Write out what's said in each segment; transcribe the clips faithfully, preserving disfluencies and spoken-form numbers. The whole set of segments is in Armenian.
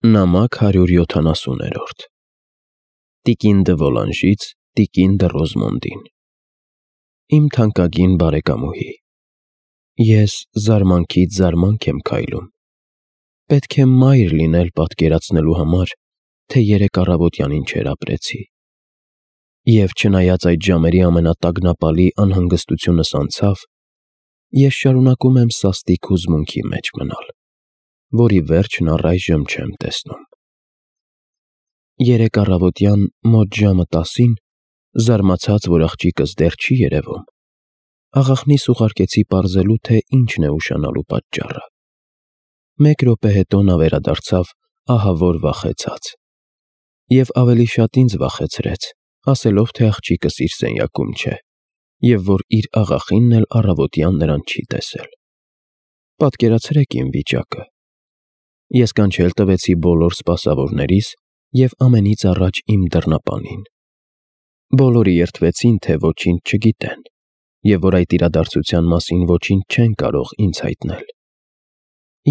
Նամակ հարյուր յոթանասուներորդ Տիկին դը Վոլանժից տիկին դը Ռոզմոնդին Իմ թանկագին բարեկամուհի, ես զարմանքից զարմանք եմ քայլում, պետք է մայր լինել պատկերացնելու համար, թե երեկ առավոտյան ինչեր ապրեցի, և չնայած այդ ժամերի ամենատագնապալի անհանգստությունս անցավ, ես շարունակում եմ սաստիկ հուզմունքի մեջ մնալ, որի վերջն առայժմ չեմ տեսնում։ Երեկ առավոտյան մոտ ժամը տասին, զարմացած, որ աղջիկս դեռ չի երևում, աղախնիս ուղարկեցի պարզելու, թե ինչն է ուշանալու պատճառը։ Մեկ րոպե հետո նա վերադարձավ ահավոր վախեցած, և ավելի շատ ինձ վախեցրեց, ասելով, թե աղջիկս իր սենյակում չէ, և որ իր աղախինն էլ առավոտյան նրան չի տեսել։ Պատկերացրեք իմ վիճակը։ Ես կանչել տվեցի բոլոր սպասավորներիս և ամենից առաջ իմ դռնապանին։ Բոլորը երդվեցին, թե ոչինչ չգիտեն, և որ այդ իրադարձության մասին ոչինչ չեն կարող ինձ հայտնել։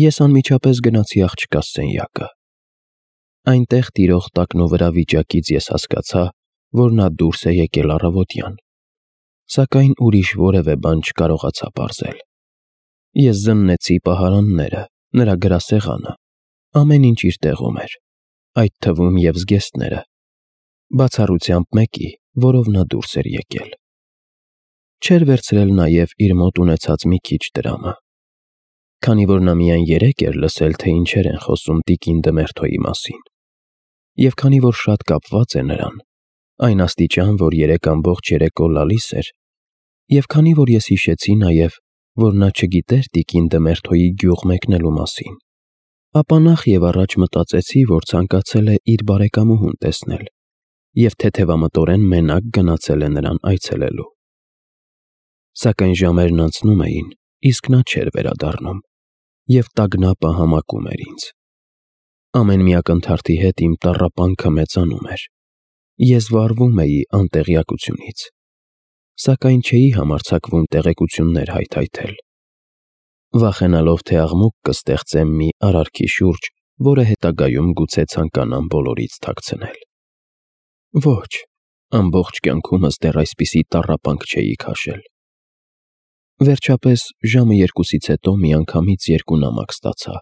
Ես անմիջապես գնացի աղջկաս սենյակը։ Այնտեղ տիրող տակնուվրա վիճակից ես հասկացա, որ նա դուրս է եկել առավոտյան, սակայն ուրիշ որևէ բան չկարողացա պարզել։ Ես զննեցի պահարանները, նրա գրասեղանը, ամեն ինչ իր տեղում էր, այդ թվում և զգեստները, բացառությամբ մեկի, որով նա դուրս էր եկել։ Չէր վերցրել նաև իր մոտ ունեցած մի քիչ դրամը։ Քանի որ նա միայն երեկ էր լսել, թե ինչեր են խոսում տիկին Դմերթոյի մասին, և քանի որ շատ կապված է նրան, այն աստիճան, որ երեկ ամբողջ երեկո լալիս էր, և քանի որ ես հիշեցի նաև, որ նա չգիտեր տիկին Դմերթոյի գյուղ մեկնելու մասին, ապա նախ և առաջ մտածեցի, որ ցանկացել է իր բարեկամուհուն տեսնել և թեթևամտորեն մենակ գնացել է նրան այցելելու։ Սակայն ժամերն անցնում էին, իսկ նա չէր վերադառնում, և տագնապը համակում էր ինձ։ Ամեն մի ակնթարթի հետ իմ տառապանքը մեծանում էր։ Ես վարվում էի անտեղյակությունից, սակայն չէի համարձակվում տեղեկություններ հայթայթել, վախենալով, թե աղմուկ կստեղծեմ մի արարքի շուրջ, որը հետագայում գուցե ցանկանամ բոլորից թաքցնել։ Ոչ, ամբողջ կյանքումս դեռ այսպիսի տառապանք չէի քաշել։ Վերջապես ժամը երկուսից հետո միանգամից երկու նամակ ստացա։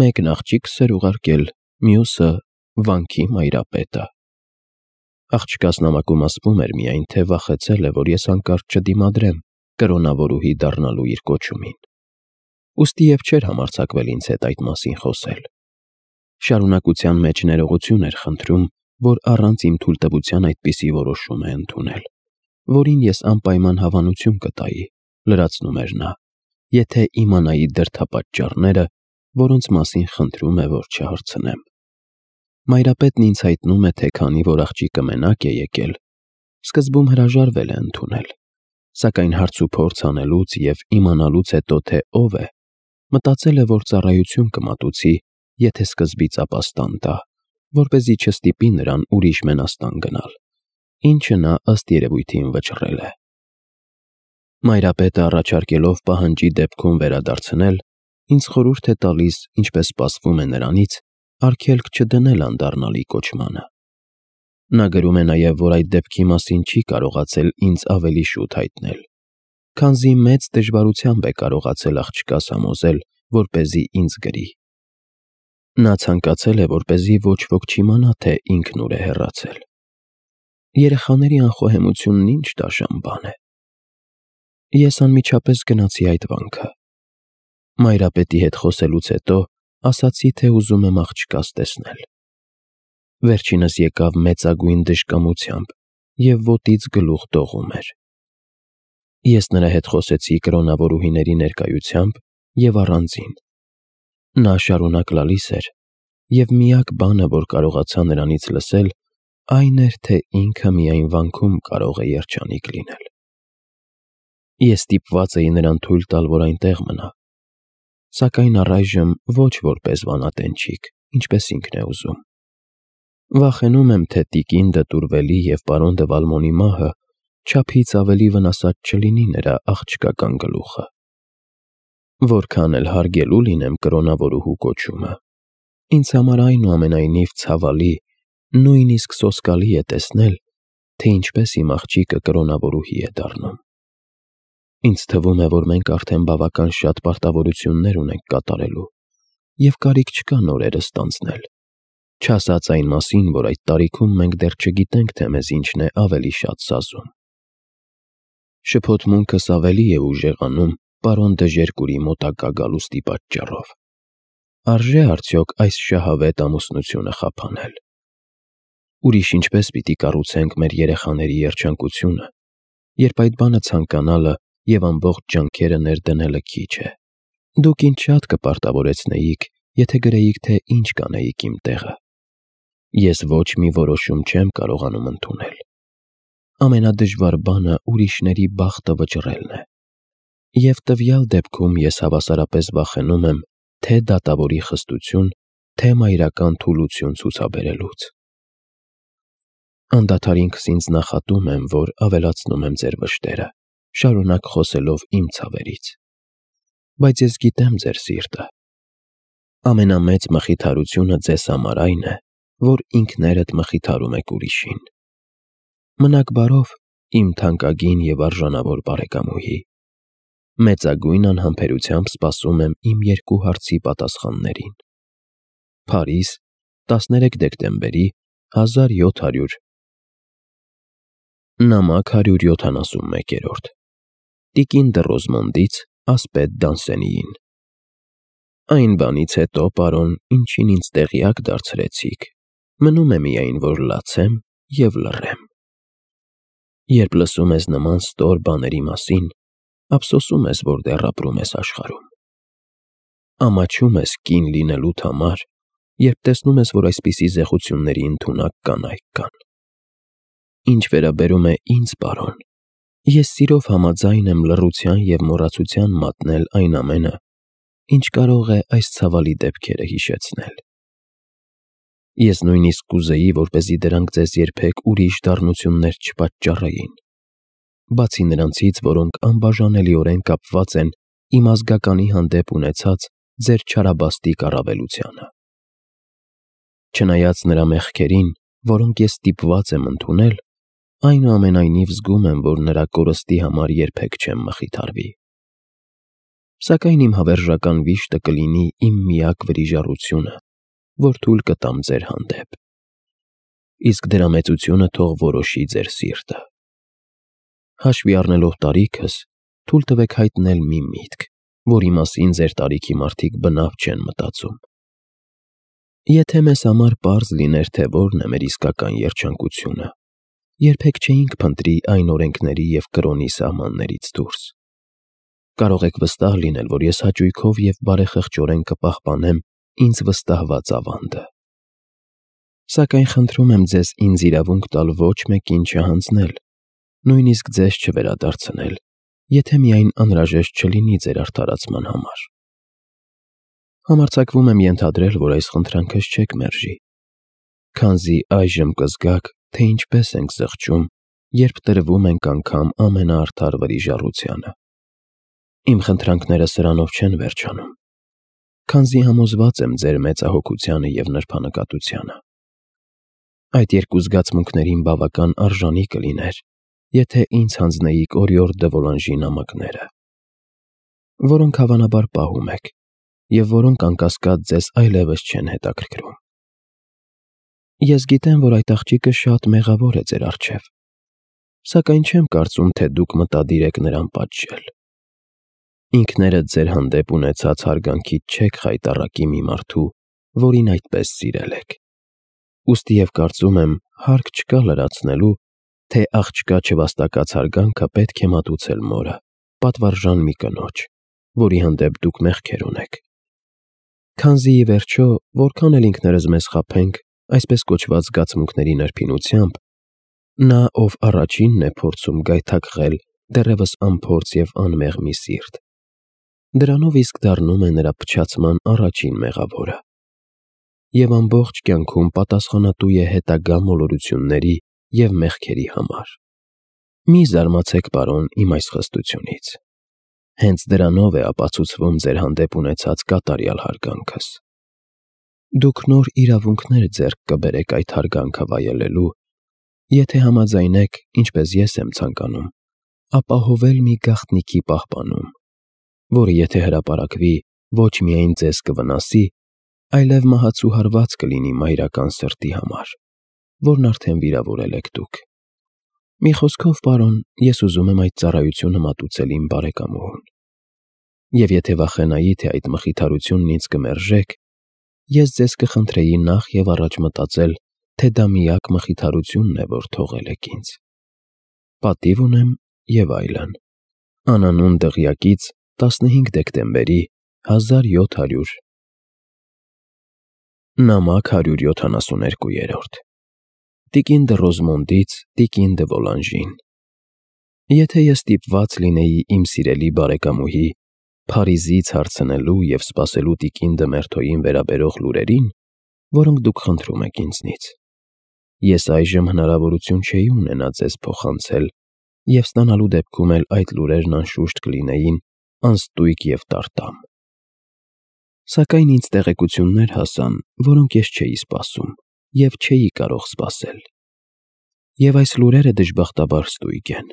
Մեկն աղջիկս էր ուղարկել, մյուսը՝ վանքի մայրապետը։ Աղջկաս նամակում ասվում էր միայն, թե վախեցել է, որ ես հանկարծ չդիմադրեմ կրոնավորուհի դառնալու իր կոչումին, ուստի և չէր համարձակվել ինձ հետ այդ մասին խոսել։ Շարունակության մեջ ներողություն էր խնդրում, որ առանց իմ թույլտվության այդպիսի որոշում է ընդունել, որին ես անպայման հավանություն կտայի, լրացնում էր նա, եթե իմանայի դրդապատճառները, որոնց մասին խնդրում է, որ չհարցնեմ։ Մայրապետն ինձ հայտնում է, թե քանի որ աղջիկը մենակ է եկել, սկզբում հրաժարվել է ընդունել, սակայն հարցուփորձ անելուց և իմանալուց հետո, թե ով է, մտածել է, որ ծառայություն կմատուցի, եթե սկզբից ապաստան տա, որպեսզի չստիպի նրան ուրիշ մենաստան գնալ, ինչը նա ըստ երևույթին վճռել է։ Մայրապետը առաջարկելով պահանջի դեպքում վերադարձնել, ինձ խորհուրդ է տալիս, ինչպես սպասվում է նրանից, արգելք չդնել անդառնալի կոչմանը։ Նա գրում է նաև, որ այդ դեպքի մասին չի կարողացել ինձ ավելի շուտ հայտնել, քանզի մեծ դժվարությամբ է կարողացել աղջկաս համոզել, որպեսզի ինձ գրի։ Նա ցանկացել է, որպեսզի ոչ ոք չիմանա, թե ինքն ուր է հեռացել։ Երեխաների անխոհեմությունն ինչ դաժան բան է։ Ես անմիջապես գնացի այդ վանքը։ Մայրապետի հետ խոսելուց հետո ասացի, թե ուզում եմ աղջկաս տեսնել։ Վերջինս եկավ մեծագույն դժկամությամբ և ոտից գլուխ դողում էր։ Ես նրա հետ խոսեցի կրոնավորուհիների ներկայությամբ և առանձին։ Նա շարունակ լալիս էր, և միակ բանը, որ կարողացա նրանից լսել, այն էր, թե ինքը միայն վանքում կարող է երջանիկ լինել։ Ես ստիպված էի նրան թույլ տալ, որ այնտեղ մնա, սակայն առայժմ ոչ որպես վանատենչիկ, ինչպես ինքն է ուզում։ Վախենում եմ, թե տիկին դը Տուրվելի և պարոն դը Վալմոնի մահը չափից ավելի վնասած չլինի նրա աղջկական գլուխը։ Որքան էլ հարգելու լինեմ կրոնավորուհու կոչումը, Ինձ համար այնուամենայնիվ ցավալի, նույնիսկ սոսկալի է տեսնել, թե ինչպես իմ աղջիկը կրոնավորուհի է դառնում։ Ինձ թվում է, որ մենք արդեն բավական շատ պարտավորություններ ունենք կատարելու, և կարիք չկա նորերը ստանձնել, չասած այն մասին, որ այդ տարիքում մենք դեռ չգիտենք, թե մեզ ինչն է ավելի շատ սազում։ Շփոթմունքս ավելի է ուժեղանում պարոն Դժերկուրի մոտակա գալուստի պատճառով։ Արժե՞ արդյոք այս շահավետ ամուսնությունը խափանել։ Ուրիշ ինչպես պիտի կառուցենք մեր երեխաների երջանկությունը, երբ այդ բանը ցանկանալը և ամբողջ ջանքերը ներդնելը քիչ է։ Դուք ինձ շատ կպարտավորեցնեիք, եթե գրեիք, թե ինչ կանեիք իմ տեղը։ Ես ոչ մի որոշում չեմ կարողանում ընդունել։ Ամենադժվար բանը ուրիշների բախտը վճռելն է։ Եվ տվյալ դեպքում ես հավասարապես վախենում եմ թե դատավորի խստություն, թե մայրական թուլություն ցուցաբերելուց։ Անդադար ինքս ինձ նախատում եմ, որ ավելացնում եմ ձեր վշտերը, շարունակ խոսելով իմ ցավերից։ Բայց ես գիտեմ ձեր սիրտը։ Ամենամեծ մխիթարությունը ձեզ համար այն է, որ ինքներդ մխիթարում եք ուրիշին։ Մնաք բարով, իմ թանկագին և արժանավոր բարեկամուհի։ Մեծագույն անհամբերությամբ սպասում եմ իմ երկու հարցի պատասխաններին։ Փարիզ, տասներեք դեկտեմբերի հազար յոթ հարյուր նամակ հարյուր յոթանասունմեկ։ Տիկին դը Ռոզմոնդից ասպետ Դանսենիին։ Այն բանից հետո, պարոն, ինչին ինձ տեղյակ դարձրեցիք, մնում է միայն, որ լացեմ և լռեմ։ Երբ լսում ես նման ստոր բաների մասին, ափսոսում ես, որ դեռ ապրում ես աշխարհում։ Ամաչում ես կին լինելուդ համար, երբ տեսնում ես, որ այսպիսի զեղությունների ընդունակ կանայք կան։ Ինչ վերաբերում է ինձ, պարոն, ես սիրով համաձայն եմ լռության և մոռացության մատնել այն ամենը, ինչ կարող է այս ցավալի դեպքերը հիշեցնել։ Ես նույնիսկ կուզեի, որպեսզի դրանք ձեզ երբեք ուրիշ դառնություններ չպատճառեին, բացի նրանցից, որոնք անբաժանելիորեն կապված են իմ ազգականի հանդեպ ունեցած ձեր չարաբաստիկ առավելությանը։ Չնայած նրա մեղքերին, որոնք ես ստիպված եմ ընդունել, այնուամենայնիվ զգում եմ, որ նրա կորստի համար երբեք չեմ մխիթարվի։ Սակայն իմ հավերժական վիշտը կլինի իմ միակ վրիժառությունը, որ թույլ կտամ ձեր հանդեպ։ Իսկ դրա մեծությունը թող որոշի ձեր սիրտը։ Հաշվի առնելով տարիքս, թույլ տվեք հայտնել մի միտք, որի մասին ձեր տարիքի մարդիկ բնավ չեն մտածում։ Եթե մեզ համար պարզ լիներ, թե որն է մեր իսկական երջանկությունը, երբեք չէինք փնտրի այն օրենքների և կրոնի սահմաններից դուրս։ Կարող եք վստահ լինել, որ ես հաճույքով և բարեխղճորեն կպահպանեմ ինձ վստահված ավանդը։ Սակայն խնդրում եմ ձեզ ինձ իրավունք տալ ոչ մեկին չհանձնել, նույնիսկ ձեզ չվերադարձնել, եթե միայն անհրաժեշտ չլինի ձեր արդարացման համար։ Համարձակվում եմ ենթադրել, որ այս խնդրանքս չեք մերժի, քանզի այժմ կզգաք, թե ինչպես ենք զղջում, երբ տրվում ենք անգամ ամենաարդար վրիժառությանը։ Իմ խնդրանքները սրանով չեն վերջանում, քանզի համոզված եմ ձեր մեծահոգությանը և նրբանկատությանը։ Այդ երկու զգացմունքներին բավական արժանի կլիներ, եթե ինձ հանձնեիք օրիորդ դը Վոլանժի նամակները, որոնք հավանաբար պահում եք, և որոնք անկասկած ձեզ այլևս չեն հետաքրքրում։ Ես գիտեմ, որ այդ աղջիկը շատ մեղավոր է ձեր առջև, սակայն չեմ կարծում, թե դուք մտադիր եք նրան պատժել։ Ինքներդ ձեր հանդեպ ունեցած հարգանքից չեք խայտառակի մի մարդու, որին այդպես սիրել եք։ Ուստի և կարծում եմ, հարկ չկա լրացնելու, թե աղջկա չվաստակած հարգանքը պետք է մատուցել մորը, պատվարժան մի կնոջ, որի հանդեպ դուք մեղքեր ունեք։ Քանզի, ի վերջո, որքան էլ ինքներս մեզ խաբենք այսպես կոչված զգացմունքների նրբինությամբ, նա, ով առաջինն է փորձում գայթակղել դեռևս անփորձ և անմեղ մի սիրտ, դրանով իսկ դառնում է նրա փչացման առաջին մեղավորը և ամբողջ կյանքում պատասխանատու է հետագա մոլորությունների և մեղքերի համար։ Մի զարմացեք, պարոն, իմ այս խստությունից։ Հենց դրանով է ապացուցվում ձեր հանդեպ ունեցած կատարյալ հարգանքս։ Դուք նոր իրավունքներ ձեռք կբերեք այդ հարգանքը վայելելու, եթե համաձայնեք, ինչպես ես եմ ցանկանում, ապահովել մի գաղտնիքի պահպանում, որը եթե հրապարակվի, ոչ միայն ձեզ կվնասի, այլև մահացուհարված կլինի մայրական սրտի համար, որն արդեն վիրավորել եք դուք։ Մի խոսքով, պարոն, ես ուզում եմ այդ ծառայությունը մատուցել իմ բարեկամուհուն։ Եվ եթե վախենայի, թե այդ մխիթարությունն ինձ կմերժեք, ես ձեզ կխնդրեի նախ և առաջ մտածել, թե դա միակ մխիթարությունն է, որ թողել եք ինձ։ Պատիվ ունեմ և այլն։ Անանուն դղյակից տասնհինգ դեկտեմբերի հազար յոթ հարյուր Նամակ հարյուր յոթանասուներկու Տիկին դը Ռոզմոնդից տիկին դը Վոլանժին։ Եթե ես ստիպված լինեի իմ սիրելի բարեկամուհի Փարիզից հարցնելու և սպասելու տիկին դը Մերթոյին վերաբերող լուրերին, որոնք դուք խնդրում եք ինձնից, ես այժմ հնարավորություն չէի ունենա ձեզ փոխանցել և ստանալու դեպքում էլ այդ լուրերն անշուշտ կլինեին անստույգ և տարտամ։ Սակայն ինձ տեղեկություններ հասան, որոնք ես չէի սպասում և չէի կարող սպասել։ Եվ այս լուրերը դժբախտաբար ստույգ են։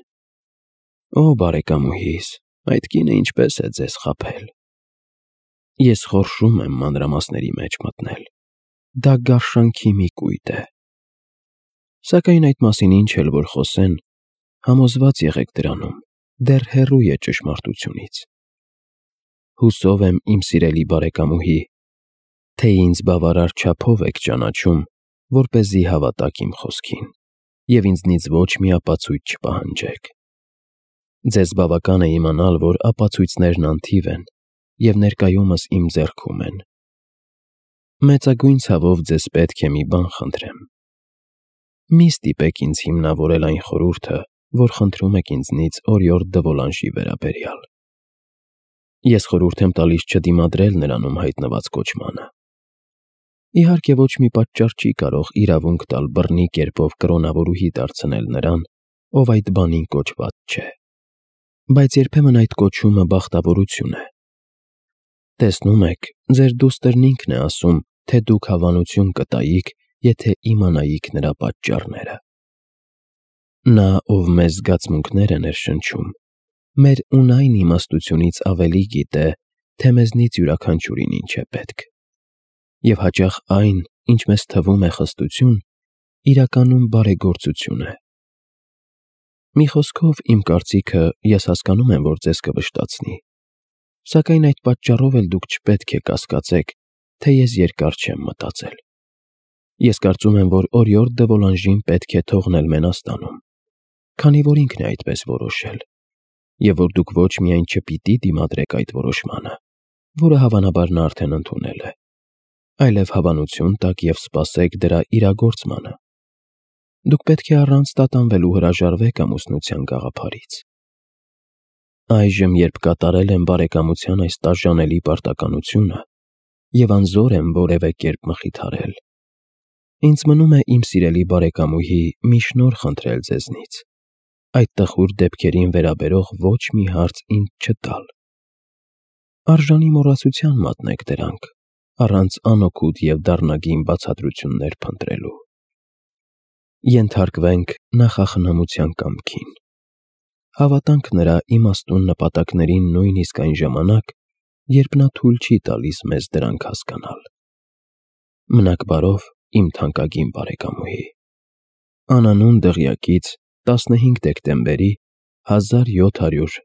Օ, բարեկամուհիս, այդ կինը ինչպես է ձեզ խաբել։ Ես խորշում եմ մանրամասների մեջ մտնել։ Դա գարշանքի մի կույտ է։ Սակայն այդ մասին ինչ էլ որ խոսեն, համոզված եղեք դրանում, դեռ հեռու է ճշմարտությունից։ Հուսով եմ, իմ սիրելի բարեկամուհի, թե ինձ բավարար չափով եք ճանաչում, որպեսզի հավատաք իմ խոսքին և ինձնից ոչ մի ապացույց չպահանջեք։ Ձեզ բավական է իմանալ, որ ապացույցներն անթիվ են և ներկայումս իմ ձեռքում են։ Մեծագույն ցավով ձեզ պետք է մի բան խնդրեմ։ Մի ստիպեք ինձ հիմնավորել այն խորհուրդը, որ խնդրում եք ինձնից օրիորդ դը Վոլանժի վերաբերյալ։ Ես խորհուրդ եմ տալիս չդիմադրել նրանում հայտնված կոչմանը։ Իհարկե, ոչ մի պատճառ չի կարող իրավունք տալ բռնի կերպով կրոնավորուհի դարձնել նրան, ով այդ բանին կոչված չէ։ Բայց երբեմն այդ կոչումը բախտավորություն է։ Տեսնում եք, ձեր դուստրն ինքն է ասում, թե դուք հավանություն կտայիք, եթե իմանայիք նրա պատճառները։ Նա, ով մեզ զգացմունքներ է ներշնչում, մեր ունայն իմաստությունից ավելի գիտե, թե մեզնից յուրաքանչյուրին ինչ է պետք։ Եվ հաճախ այն, ինչ մեզ թվում է խստություն, իրականում բարեգործություն է։ Մի խոսքով, իմ կարծիքը, ես հասկանում եմ, որ ձեզ կվշտացնի, սակայն այդ պատճառով էլ դուք չպետք է կասկածեք, թե ես երկար չեմ մտածել։ Ես կարծում եմ, որ օրիորդ դը Վոլանժին պետք է թողնել Մենաստանում, քանի որ ինքն է այդպես որոշել, և որ դուք ոչ միայն չպիտի դիմադրեք այդ որոշմանը, որը հավանաբար նա արդեն ընդունել է, այլև հավանություն տաք և սպասեք դրա իրագործմանը։ Դուք պետք է առանց տատանվելու հրաժարվեք ամուսնության գաղափարից։ Այժմ, երբ կատարել եմ բարեկամության այս տաժանելի պարտականությունը և անզոր եմ որևէ կերպ մխիթարել, ինձ մնում է իմ սիրելի բարեկամուհի մի շնորհ խնդրել ձեզնից, այդ տխուր դեպքերին վերաբերող ոչ մի հարց ինձ չտալ։ Արժանի մոռացության մատնեք դրանք, առանց անօգուտ և դառնագին բացատրություններ փնտրելու։ Ենթարկվենք նախախնամության կամքին։ Հավատանք նրա իմաստուն նպատակներին նույնիսկ այն ժամանակ, երբ նա թույլ չի տալիս մեզ դրանք հասկանալ։ Մնաք բարով, իմ թանկագին բարեկամուհի։ Անանուն դղյակից տասնհինգ դեկտեմբերի հազար յոթ հարյուր